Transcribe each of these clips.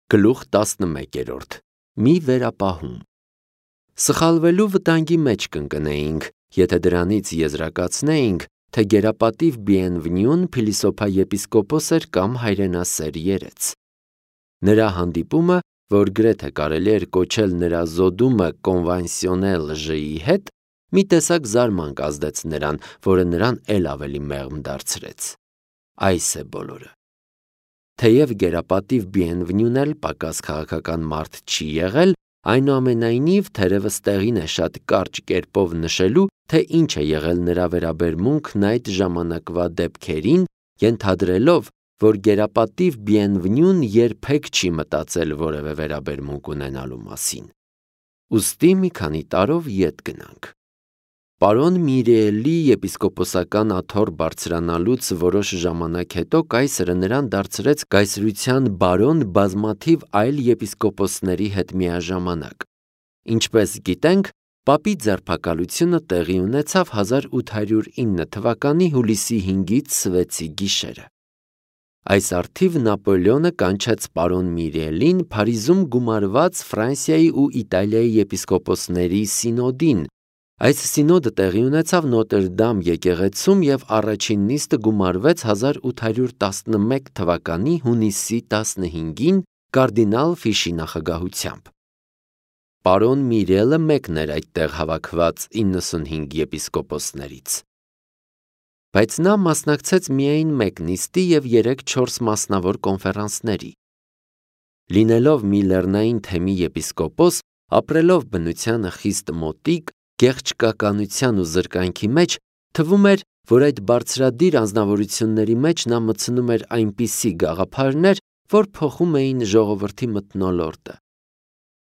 Գլուխ 11. Մի վերապահում։ Սխալվելու վտանգի մեջ կընկնեինք, եթե դրանից եզրակացնեինք, թե գերապատիվ Բիենվնյուն փիլիսոփա եպիսկոպոս էր կամ հայրենասեր երեց։ Նրա հանդիպումը, որ գրեթե կարելի էր կոչել նրա զոդումը կոնվանսիոնել ժ-ի հետ, մի տեսակ զարմանք ազդեց նրան, որը նրան էլ ավելի մեղմ դարձրեց։ Այս է բոլորը։ Թեև գերապատիվ Բիենվնյուն էլ պակաս քաղաքական մարդ չի եղել, այնուամենայնիվ թերևս տեղին է շատ կարճ կերպով նշելու, թե ինչ է եղել նրա վերաբերմունքն այդ ժամանակվա դեպքերին, ենթադրելով, որ գերապատիվ Բիենվնյուն երբեք չի մտածել որևէ վերաբերմունք ունենալու մասին։ Ուստի մի քանի տարով ետ գնանք։ Պարոն Միրիելի եպիսկոպոսական աթոռ բարձրանալուց որոշ ժամանակ հետո կայսրը նրան դարձրեց կայսրության բարոն բազմաթիվ այլ եպիսկոպոսների հետ միաժամանակ։ Ինչպես գիտենք, պապի ձերբակալությունը տեղի ունեցավ 1809 թվականի հուլիսի 5-ից 6-ի գիշերը։ Այս առթիվ Նապոլեոնը կանչեց պարոն Միրիելին Փարիզում գումարված Ֆրանսիայի ու Իտալիայի եպիսկոպոսների սինոդին։ Այս սինոդը տեղի ունեցավ Նոտրդամ եկեղեցում և առաջին նիստը գումարվեց 1811 թվականի հունիսի 15-ին կարդինալ Ֆիշի նախագահությամբ։ Պարոն Միրիելը մեկն էր այդտեղ հավաքված 95 եպիսկոպոսներից։ Բայց նա մասնակցեց միայն մեկ նիստի և 3-4 մասնավոր կոնֆերանսների։ Լինելով մի լեռնային թեմի եպիսկոպոս, ապրելով բնությանը խիստ մոտիկ, գեղչկականության ու զրկանքի մեջ, թվում էր, որ այդ բարձրադիր անձնավորությունների մեջ նա մտցնում էր այնպիսի գաղափարներ, որ փոխում էին ժողովրդի մթնոլորտը։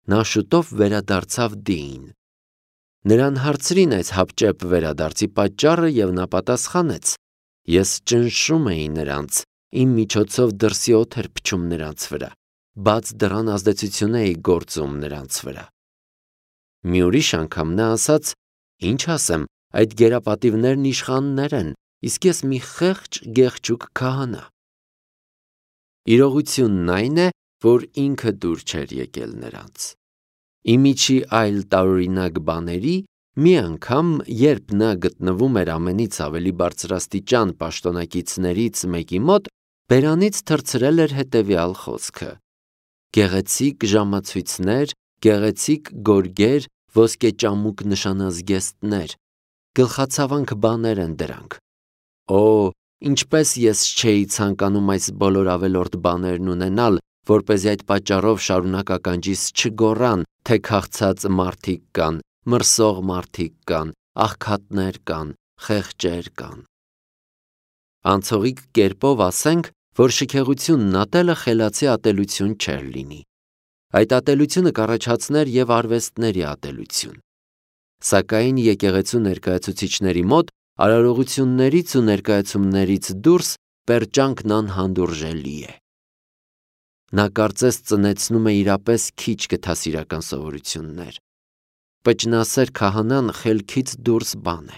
Նա շուտով վերադարձավ Դիին։ Նրան հարցրին այս հապճեպ վերադարձի պատճառը և նա պատասխանեց. «Ես ճնշում էի նրանց, իմ միջոցով դրսի օդ էր փչում նրանց վրա, բաց դռան ազդեցություն էի գործում նրանց վրա»։ Մի ուրիշ անգամ նա ասաց. «Ինչ ասեմ, այդ գերապատիվներն իշխաններ են, իսկ ես մի խեղճ գեղչուկ քահանա»։ Իրողությունն այն է, որ ինքը դուր չէր եկել նրանց։ Իմիջի այլ տարօրինակ բաների, մի անգամ, երբ նա գտնվում էր ամենից ավելի բարձրաստիճան պաշտոնակիցներից մեկի մոտ, բերանից թռցրել էր հետևյալ խոսքը. «Գեղեցիկ ժամացույցներ, գեղեցիկ գորգեր, ոսկեճամուկ նշանազգեստներ, գլխացավանք բաներ են դրանք։ Օ, ինչպես ես չէի ցանկանում այս բոլոր ավելորդ բաներն ունենալ, որպեսզի այդ պատճառով շարունակ ականջիս չգոռան, թե քաղցած մարդիկ կան, մրսող մարդիկ կան, աղքատներ կան, խեղճեր կան»։ Անցողիկ կերպով ասենք, որ շքեղությունն ատելը խելացի ատելություն չէր լինի։ Այդ ատելությունը կառաջացներ և արվեստների ատելություն։ Սակայն եկեղեցու ներկայացուցիչների մոտ արարողություններից ու ներկայացումներից դուրս պերճանքն անհանդուրժելի է։ Նա կարծես ծնեցնում է իրապես քիչ գթասիրական սովորություններ։ Պճնասեր քահանան խելքից դուրս բան է։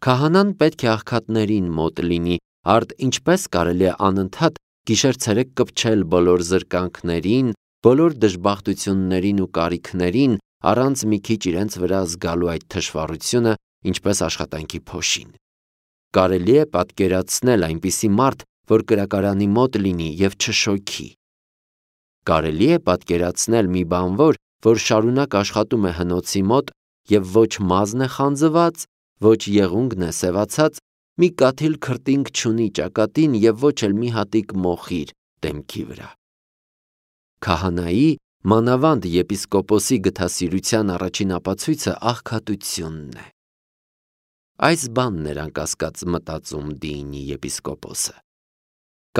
Քահանան պետք է աղքատներին մոտ լինի, արդ ինչպես կարելի է անընդհատ գիշեր-ցերեկ կպչել բոլոր զրկանքներին, բոլոր դժբախտություններին ու կարիքներին, առանց մի քիչ իրենց վրա զգալու այդ թշվառությունը, ինչպես աշխատանքի փոշին։ Կարելի է պատկերացնել այնպիսի մարդ, որ կրակարանի մոտ լինի և չշոքի։ Կարելի է պատկերացնել մի բանվոր, որ շարունակ աշխատում է հնոցի մոտ և ոչ մազն է խանձված, ոչ եղունգն է սևացած, մի կաթիլ քրտինք չունի ճակատին և ոչ էլ մի հատիկ մոխիր դեմքի վրա։ Քահանայի, մանավանդ եպիսկոպոսի գթասիրության առաջին ապացույցը աղքատությունն է։ Այս բանն էր անկասկած մտածում Դիինի եպիսկոպոսը։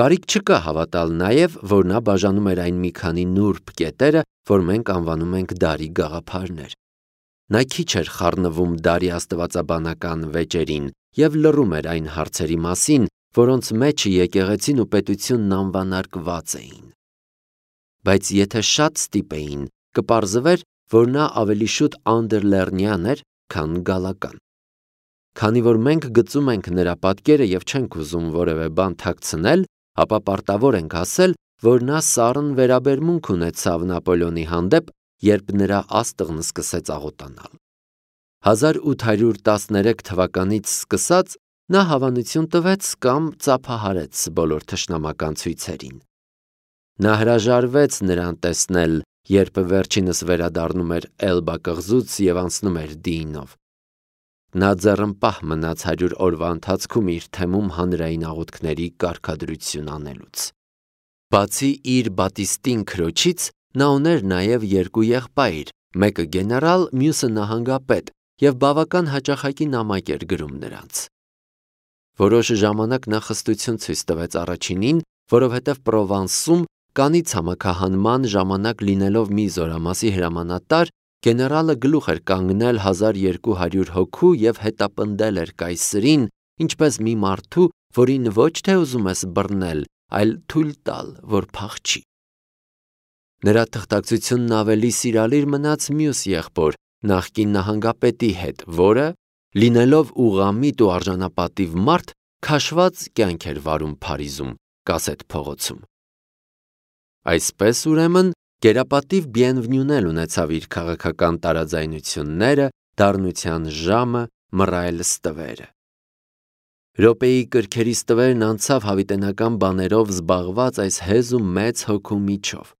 Կարիք չկա հավատալ նաև, որ նա բաժանում էր այն մի քանի նուրբ կետերը, որ մենք անվանում ենք դարի գաղափարներ։ Նա քիչ էր խառնվում դարի աստվածաբանական վեճերին և լռում էր այն հարցերի մասին, որոնց մեջը եկեղեցին ու պետությունն անվանարկված էին։ Բայց եթե շատ ստիպեին, կպարզվեր, որ նա ավելի շուտ անդերլեռնյան էր, քան գալական։ Քանի որ մենք գծում ենք նրա պատկերը և չենք ուզում որևէ բան թաքցնել, ապա պարտավոր ենք ասել, որ նա սառն վերաբերմունք ունեցավ Նապոլեոնի հանդեպ, երբ նրա աստղն սկսեց աղոտանալ։ 1813 թվականից սկսած նա հավանություն տվեց կամ ծափահարեց բոլոր թշնամական ցույցերին։ Նա հրաժարվեց նրան տեսնել, երբ վերջինս վերադառնում էր Էլբա կղզուց և անցնում էր Դիինով։ Նա ձեռնպահ մնաց 100 օրվա ընթացքում իր թեմում հանրային աղոթքների կարգադրություն անելուց։ Բացի իր Բատիստին քրոջից, նա ուներ նաև երկու եղբայր, մեկը գեներալ, մյուսը նահանգապետ, և բավական հաճախակի նամակ էր գրում նրանց։ Որոշ ժամանակ նա խստություն ցույց տվեց առաջինին, որովհետև Պրովանսում կանի ցամաքահանման ժամանակ լինելով մի զորամասի հրամանատար, գեներալը գլուխ էր կանգնել 1200 հոգու և հետապնդել էր կայսրին, ինչպես մի մարդու, որին ոչ թե ուզում ես բռնել, այլ թույլ տալ, որ փախչի։ Նրա թղթակցությունն ավելի սիրալիր մնաց մյուս եղբոր, նախկին նահանգապետի հետ, որը, լինելով ուղղամիտ ու արժանապատիվ մարդ, քաշված կյանք էր վարում Փարիզում, Կասետ փողոցում։ Այսպես, ուրեմն, գերապատիվ Բիենվնյուն էլ ունեցավ իր քաղաքական տարաձայնությունները, դառնության ժամը, մռայլ ստվերը։ Րոպեի կրքերի ստվերն անցավ հավիտենական բաներով զբաղված այս հեզ ու մեծ հոգու միջով։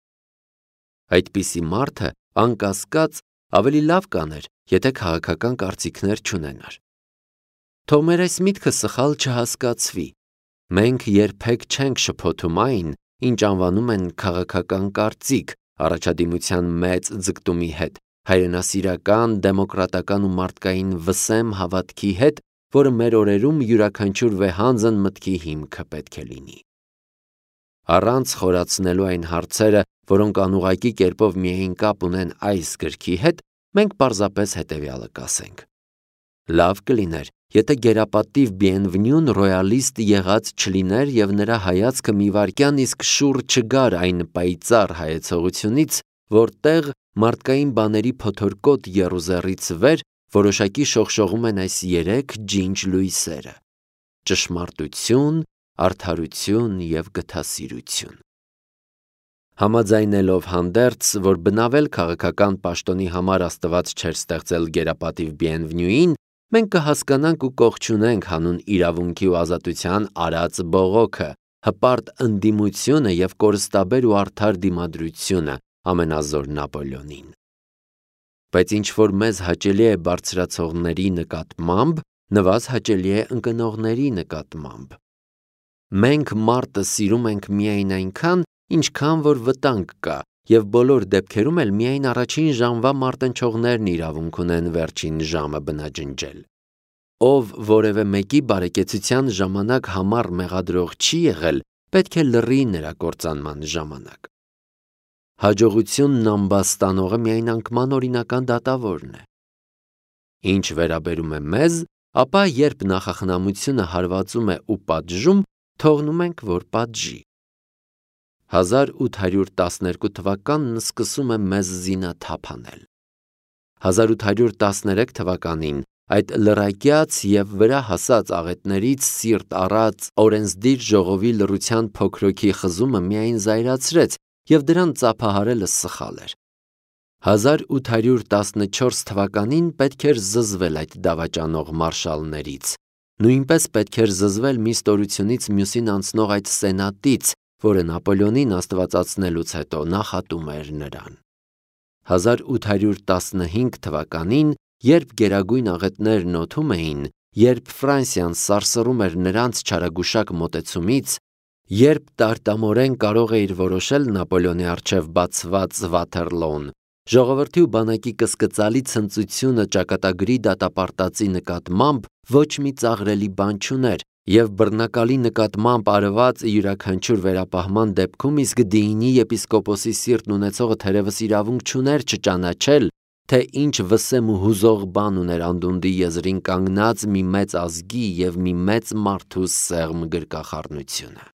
Այդպիսի մարդը, անկասկած, ավելի լավ կաներ, եթե քաղաքական կարծիքներ չունենար։ Թող մեր այս միտքը սխալ չհասկացվի։ Մենք երբեք չենք շփոթում այն, ինչ անվանում են քաղաքական կարծիք, առաջադիմության մեծ ձգտումի հետ, հայրենասիրական, դեմոկրատական ու մարդկային վսեմ հավատքի հետ, որը մեր օրերում յուրաքանչյուր վեհանձն մտքի հիմքը պետք է լինի։ Առանց խորացնելու այն հարցերը, որոնք անուղղակի կերպով միայն կապ ունեն այս գրքի հետ, մենք պարզապես հետևյալը կասենք. Լավ կլիներ, եթե գերապատիվ Բիենվնյուն ռոյալիստ եղած չլիներ և նրա հայացքը մի վայրկյան իսկ շուռ չգար այն պայծառ հայեցողությունից, որտեղ մարդկային բաների փոթորկոտ եռուզեռից վեր որոշակի շողշողում են այս երեք ջինջ լույսերը՝ ճշմարտություն, արդարություն և գթասիրություն։ Համաձայնելով հանդերձ, որ բնավել քաղաքական պաշտոնի համար Աստված չէր ստեղծել գերապատիվ Բիենվնյուին, մենք կհասկանանք ու կողջունենք հանուն իրավունքի ու ազատության արած բողոքը, հպարտ ընդդիմությունը և կորստաբեր ու արդար դիմադրությունը ամենազոր Նապոլեոնին։ Բայց ինչ-որ մեզ հաճելի է բարձրացողների նկատմամբ, նվազ հաճելի է ընկնողների նկատմամբ։ Մենք մարտը սիրում ենք միայն այնքան, ինչքան որ վտանգ կա, և բոլոր դեպքերում էլ միայն առաջին ժամվա մարտնչողներն իրավունք ունեն վերջին ժամը բնաջնջել։ Ով որևէ մեկի բարեկեցության ժամանակ համառ մեղադրող չի եղել, պետք է լռի նրա կործանման ժամանակ։ Հաջողությունն ամբաստանողը միայն անկման օրինական դատավորն է։ Ինչ վերաբերում է մեզ, ապա երբ նախախնամությունը հարվածում է ու պատժում, թողնում ենք, որ պատժի։ 1812 թվականն սկսում է մեզ զինաթափ անել։ 1813 թվականին այդ լրակյաց և վրա հասած աղետներից սիրտ առած օրենսդիր ժողովի լռության փոքրոքի խզումը միայն զայրացրեց և դրան ծափահարելը սխալ էր։ 1814 թվականին պետք էր զզվել այդ դավաճանող մարշալներից, նույնպես պետք էր զզվել մի ստորությունից մյուսին անցնող այդ սենատից, որը Նապոլեոնին աստվածացնելուց հետո նախատում էր նրան։ 1815 թվականին, երբ գերագույն աղետներն օդում էին, երբ Ֆրանսիան սարսռում էր նրանց չարագուշակ մոտեցումից, երբ տարտամորեն կարող էիր որոշել Նապոլեոնի առջև բացված Վաթերլոոն, ժողովրդի ու բանակի կսկծալի ցնծությունը ճակատագրի դատապարտածի նկատմամբ ոչ մի ծաղրելի բան չուներ, և բռնակալի նկատմամբ արված յուրաքանչյուր վերապահման դեպքում իսկ Դիինի եպիսկոպոսի սիրտն ունեցողը թերևս իրավունք չուներ չճանաչել, թե ինչ վսեմ ու հուզող բան ուներ անդունդի եզրին կանգնած մի մեծ ազգի և մի մեծ մարդու սեղմ գրկախառնությունը։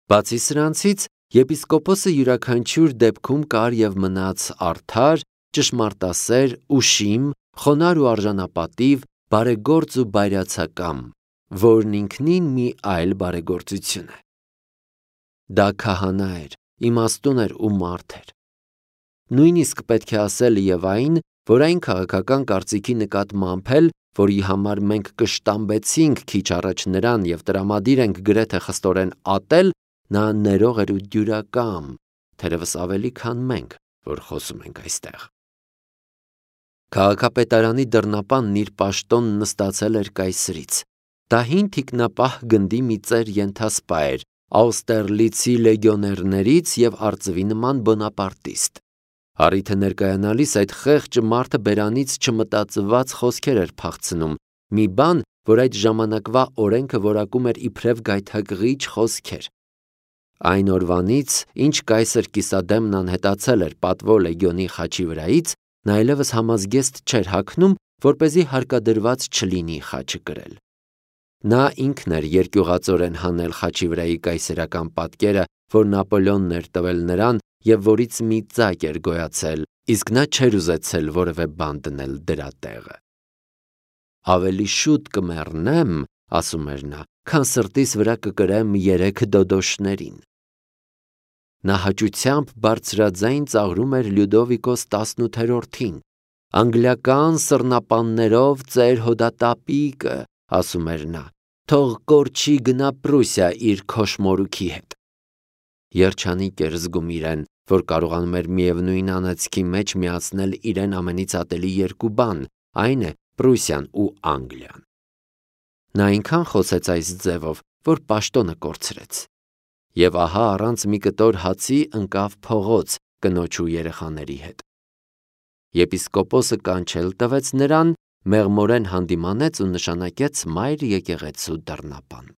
Բացի սրանցից, եպիսկոպոսը յուրաքանչյուր դեպքում կար և մնաց արդար, ճշմարտասեր, ուշիմ, խոնարհ ու արժանապատիվ, բարեգործ ու բայրացակամ, որն ինքնին մի այլ բարեգործություն է։ Դա քահանա էր, իմաստուն էր ու մարդ էր։ Նույնիսկ պետք է ասել եւ այն, որ այն քաղաքական կարծիքի նկատմամբ էլ, որի համար մենք կշտամբեցինք քիչ առաջ նրան եւ տրամադիր ենք գրեթե խստորեն ատել, նա ներող էր ու դյուրակամ, թերևս ավելի քան մենք, որ խոսում ենք այստեղ։ Քաղաքապետարանի դռնապանն իր պաշտոնն նստացել էր կայսրից։ Դա հին թիկնապահ գնդի մի ծեր ենթասպա էր, Աուստերլիցի լեգիոներներից եւ արծվի նման բոնապարտիստ։ Առիթը ներկայանալիս այդ խեղճ մարդը բերանից չմտածված խոսքեր էր փախցնում, մի բան, որ այդ ժամանակվա օրենքը որակում էր իբրև գայթակղիչ խոսքեր։ Այն օրվանից, ինչ կայսր Կիսադեմն անհետացել էր պատվո լեգիոնի խաչի վրայից, նա այլևս համազգեստ չէր հագնում, որպեսզի հարկադրված չլինի խաչը կրել։ Նա ինքն էր երկյուղածորեն հանել խաչի վրայի կայսերական պատկերը, որ Նապոլեոնն էր տվել նրան եւ որից մի ծակ էր գոյացել, իսկ նա չէր ուզեցել որևէ բան դնել դրա տեղը։ Ավելի շուտ կմեռնեմ, ասում էր նա, քան սրտիս վրա կկրեմ 3 դոդոշներին։ Նա հաճությամբ բարձրաձայն ծաղրում էր Լյուդովիկոս 18-ին։ Անգլիական սռնապաններով ծեր հոդատապիկը, ասում էր նա, թող կորչի գնա Պրուսիա իր քոշմորուքի հետ։ Երջանիկ էր զգում իրեն, որ կարողանում էր միևնույն անեծքի մեջ միացնել իրեն ամենից ատելի երկու բան, այն է Պրուսիան ու Անգլիան։ Նա այնքան խոսեց այս ձևով, որ պաշտոնը կորցրեց։ Եվ ահա առանց մի կտոր հացի ընկավ փողոց կնոջ ու երեխաների հետ։ Եպիսկոպոսը կանչել տվեց նրան, մեղմորեն հանդիմանեց ու նշանակեց մայր եկեղեցու դռնապան։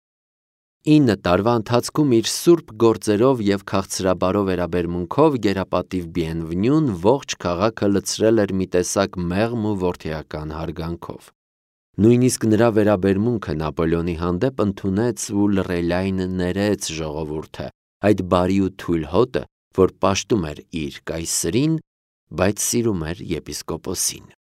9 տարվա ընթացքում իր սուրբ գործերով եւ քաղցրաբարո վերաբերմունքով գերապատիվ Բիենվնյուն ողջ քաղաքը լցրել էր մի տեսակ մեղմ ու որդեական հարգանքով։ Նույնիսկ նրա վերաբերմունքը Նապոլեոնի հանդեպ ընդունեց ու լռելայն ներեց ժողովուրդը, այդ բարի ու թույլ հոտը, որ պաշտում էր իր կայսրին, բայց սիրում էր եպիսկոպոսին։